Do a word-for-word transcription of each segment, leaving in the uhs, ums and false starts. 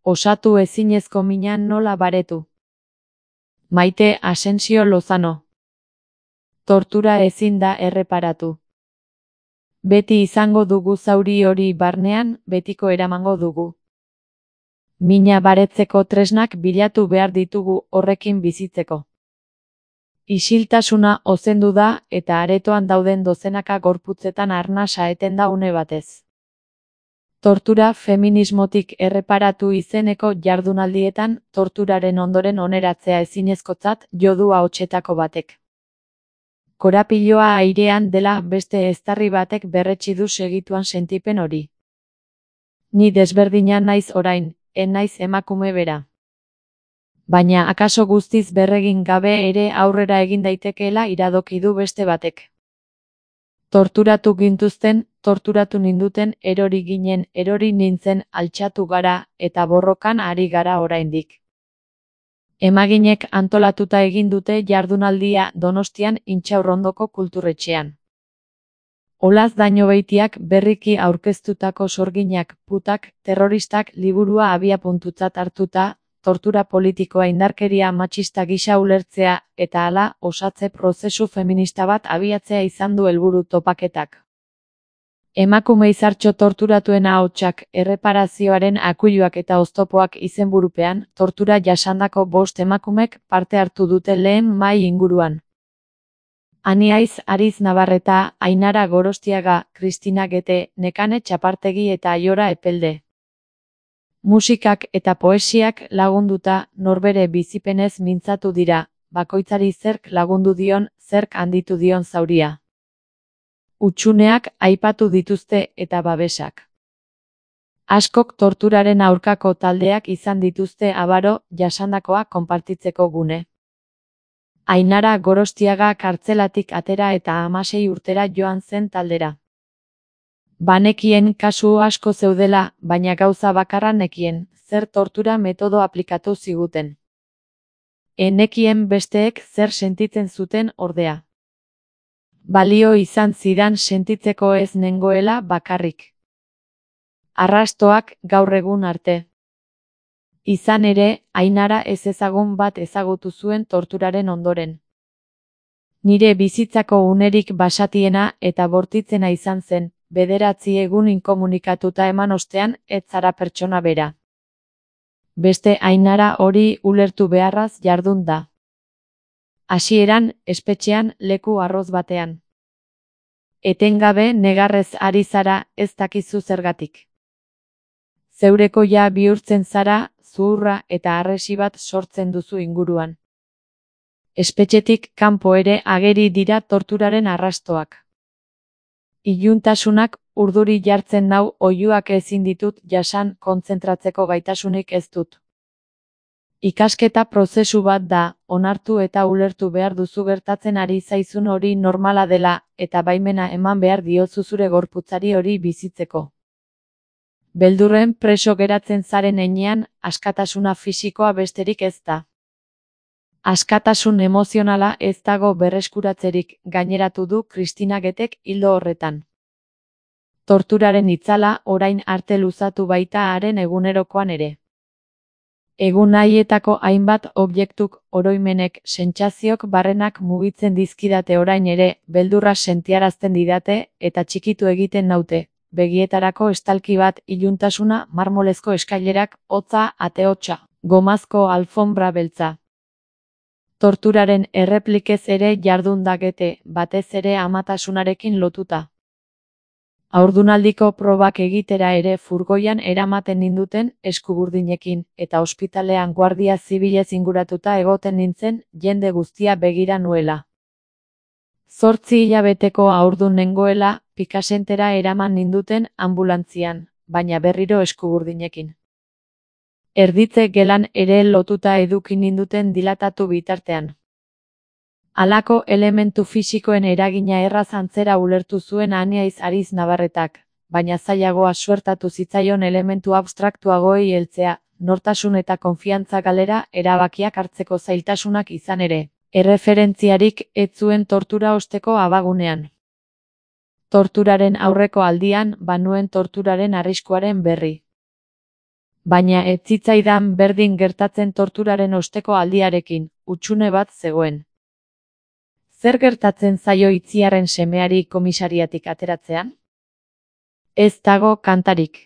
Osatu ezinezko mina nola baretu. Maite Asensio Lozano. Tortura ezin da erreparatu. Beti izango dugu zauri hori barnean, betiko eramango dugu. Mina baretzeko tresnak bilatu behar ditugu horrekin bizitzeko. Isiltasuna ozendu da eta aretoan dauden dozenaka gorputzetan arnasa eten da une batez. Tortura feminismotik erreparatu izeneko jardunaldietan torturaren ondoren oneratzea ezinezkotzat jo du ahotsetako batek. Korapiloa airean dela beste eztarri batek berretsi du segituan sentipen hori. Ni desberdina naiz orain, en naiz emakume bera. Baina akaso guztiz berregin gabe ere aurrera egin daitekeela iradoki du beste batek. Torturatu gintuzten, torturatu ninduten, erori ginen, erori nintzen, altxatu gara, eta borrokan ari gara oraindik. Emaginek antolatuta egin dute jardunaldia Donostian Intxaurrondoko kulturretxean. Olaz Dañobeitiak berriki aurkeztutako Sorginak, putak, terroristak liburua abiapuntutzat hartuta, tortura politikoa indarkeria matxista gisa ulertzea, eta hala, osatze prozesu feminista bat abiatzea izan du helburu topaketak. Emakume izartxo torturatuen ahotsak, erreparazioaren akuiluak eta oztopoak izenburupean, tortura jasandako bost emakumek parte hartu dute lehen mahai inguruan. Aniaiz Ariz Navarreta, Ainara Gorostiaga, Kristina Gete, Nekane Txapartegi eta Aiora Epelde. Musikak eta poesiak lagunduta, norbere bizipenez mintzatu dira, bakoitzari zerk lagundu dion, zerk handitu dion zauria. Utsuneak aipatu dituzte eta babesak. Askok torturaren aurkako taldeak izan dituzte abaro, jasandakoa konpartitzeko gune. Ainara Gorostiaga kartzelatik atera eta hamasei urtera joan zen taldera. Banekien kasu asko zeudela, baina gauza bakarra nekien, zer tortura metodo aplikatu ziguten. Enekien besteek zer sentitzen zuten ordea. Balio izan zidan sentitzeko ez nengoela bakarrik. Arrastoak gaur egun arte. Izan ere, Ainara ez ezagun bat ezagutu zuen torturaren ondoren. Nire bizitzako unerik basatiena eta bortitzena izan zen, bederatzi egun inkomunikatuta eman ostean ez zara pertsona bera. Beste Ainara hori ulertu beharraz jardun da. Hasieran, espetxean, leku arroz batean. Etengabe negarrez ari zara, ez dakizu zergatik. Zeurekoia bihurtzen zara, zuhurra eta harresi bat sortzen duzu inguruan. Espetxetik kanpo ere ageri dira torturaren arrastoak. Iluntasunak urduri jartzen nau oihuak ezin ditut jasan kontzentratzeko gaitasunik ez dut. Ikasketa prozesu bat da, onartu eta ulertu behar duzu gertatzen ari zaizun hori normala dela, eta baimena eman behar diozu zure gorputzari hori bizitzeko. Beldurren preso geratzen zaren heinean, askatasuna fisikoa besterik ez da. Askatasun emozionala ez dago berreskuratzerik, gaineratu du Kristina Getek ildo horretan. Torturaren itzala orain arte luzatu baita haren egunerokoan ere. Egun haietako hainbat objektuk, oroimenek, sentsazioak barrenak mugitzen dizkidate orain ere, beldurra sentiarazten didate eta txikitu egiten naute, begietarako estalki bat, iluntasuna, marmolezko eskailerak, hotza, ate-hotsa, gomazko alfombra beltza. Torturaren erreplikez ere jardun da Gete, batez ere amatasunarekin lotuta. Haurdunaldiko probak egitera ere furgoian eramaten ninduten eskuburdinekin, eta ospitalean guardia zibilez inguratuta egoten nintzen jende guztia begira nuela. Zortzi hilabeteko haurdun nengoela, Pikasentera eraman ninduten ambulantzian, baina berriro eskuburdinekin. Erditze gelan ere lotuta eduki ninduten dilatatu bitartean. Halako elementu fisikoen eragina erraz antzera ulertu zuen Aniaiz Ariz Navarretak, baina zailagoa suertatu zitzaion elementu abstraktuagoei heltzea, nortasun eta konfiantza galera erabakiak hartzeko zailtasunak izan ere, erreferentziarik ez zuen tortura osteko abagunean. Torturaren aurreko aldian, banuen torturaren arriskuaren berri. Baina ez zitzaidan berdin gertatzen torturaren osteko aldiarekin, hutsune bat zegoen. Zer gertatzen zaio Itziarren semeari komisariatik ateratzean? Ez dago kantarik.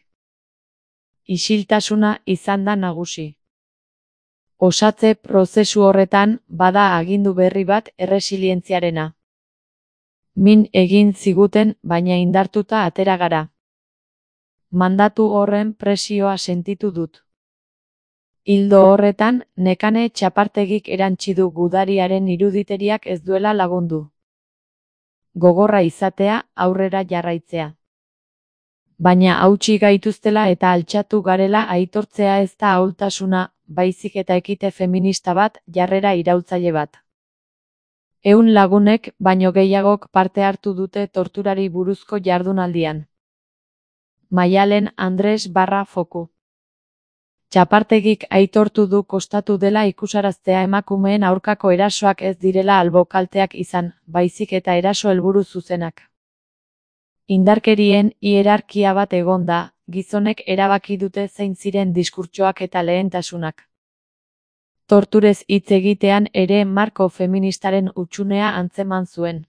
Isiltasuna izan da nagusi. Osatze prozesu horretan bada agindu berri bat erresilientziarena. Min egin ziguten baina indartuta atera gara. Mandatu horren presioa sentitu dut. Ildo horretan, Nekane Txapartegik erantsi du gudariaren iruditeriak ez duela lagundu. Gogorra izatea, aurrera jarraitzea. Baina hautsi gaituztela eta altxatu garela aitortzea ez da ahultasuna, baizik eta ekite feminista bat, jarrera iraultzaile bat. Ehun lagunek baino gehiagok parte hartu dute torturari buruzko jardunaldian. Maialen Andres barra foku. Txapartegik aitortu du kostatu dela ikusaraztea emakumeen aurkako erasoak ez direla albo kalteak izan, baizik eta eraso helburu zuzenak. Indarkerien hierarkia bat egon da, gizonek erabaki dute zein ziren diskurtsoak eta lehentasunak. Torturez hitz egitean ere marko feministaren hutsunea antzeman zuen.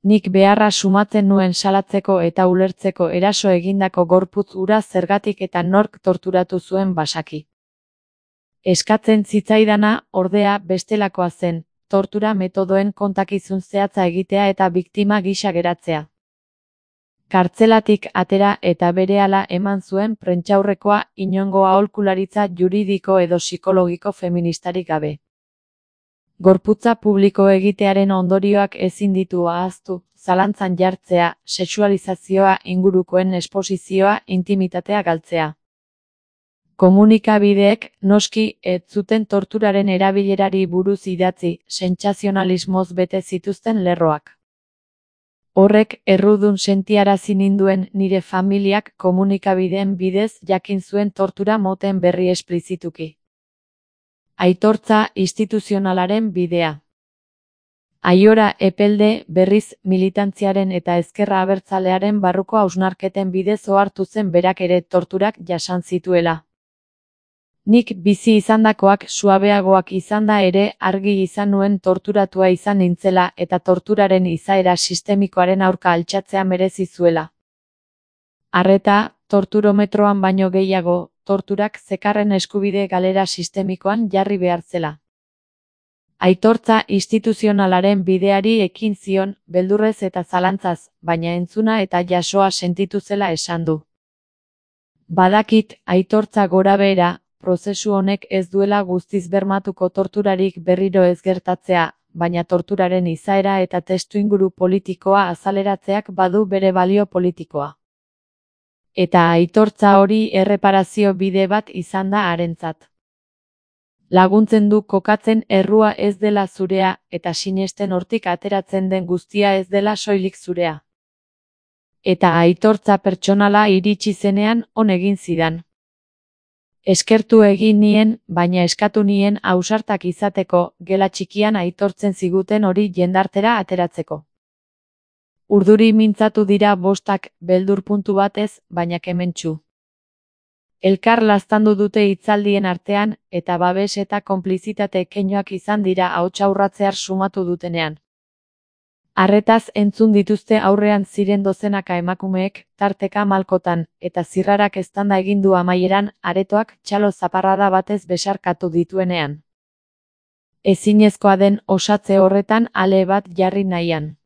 Nik beharra sumatzen nuen salatzeko eta ulertzeko eraso egindako gorputz hura zergatik eta nork torturatu zuen basaki. Eskatzen zitzaidana, ordea, bestelakoa zen, tortura metodoen kontakizun zehatza egitea eta biktima gisa geratzea. Kartzelatik atera eta berehala eman zuen prentsaurrekoa inongo aholkularitza juridiko edo psikologiko feministarik gabe. Gorputza publiko egitearen ondorioak ezin ditu ahaztu, zalantzan jartzea, sexualizazioa, ingurukoen esposizioa, intimitatea galtzea. Komunikabideek, noski, ez zuten torturaren erabilerari buruz idatzi, sentsazionalismoz bete zituzten lerroak. Horrek errudun sentiarazi ninduen nire familiak komunikabideen bidez jakin zuen tortura moten berri esplizituki. Aitortza instituzionalaren bidea. Aiora Epelde berriz militantziaren eta ezkerra abertzalearen barruko hausnarketen bidez ohartu zen berak ere torturak jasan zituela. Nik bizi izandakoak suabeagoak izanda ere argi izan nuen torturatua izan nintzela eta torturaren izaera sistemikoaren aurka altxatzea merezi zuela. Arreta, torturometroan baino gehiago, torturak zekarren eskubide galera sistemikoan jarri behar zela. Aitortza instituzionalaren bideari ekin zion, beldurrez eta zalantzaz, baina entzuna eta jasoa sentitu zela esan du. Badakit, aitortza gorabehera, prozesu honek ez duela guztiz bermatuko torturarik berriro ez gertatzea, baina torturaren izaera eta testuinguru politikoa azaleratzeak badu bere balio politikoa. Eta aitortza hori erreparazio bide bat izan da harentzat. Laguntzen du kokatzen errua ez dela zurea eta sinesten hortik ateratzen den guztia ez dela soilik zurea. Eta aitortza pertsonala iritsi zenean on egin zidan. Eskertu egin nien, baina eskatu nien ausartak izateko, gela txikian aitortzen ziguten hori jendartera ateratzeko. Urduri mintzatu dira bostak, beldur puntu batez, baina kementsu. Elkar laztandu dute hitzaldien artean, eta babes eta konplizitate keinoak izan dira ahotsa urratzear sumatu dutenean. Arretaz entzun dituzte aurrean ziren dozenaka emakumeek, tarteka malkotan, eta zirrarak eztanda egin du amaieran, aretoak txalo zaparrada batez besarkatu dituenean. Ezinezkoa den osatze horretan ale bat jarri nahian.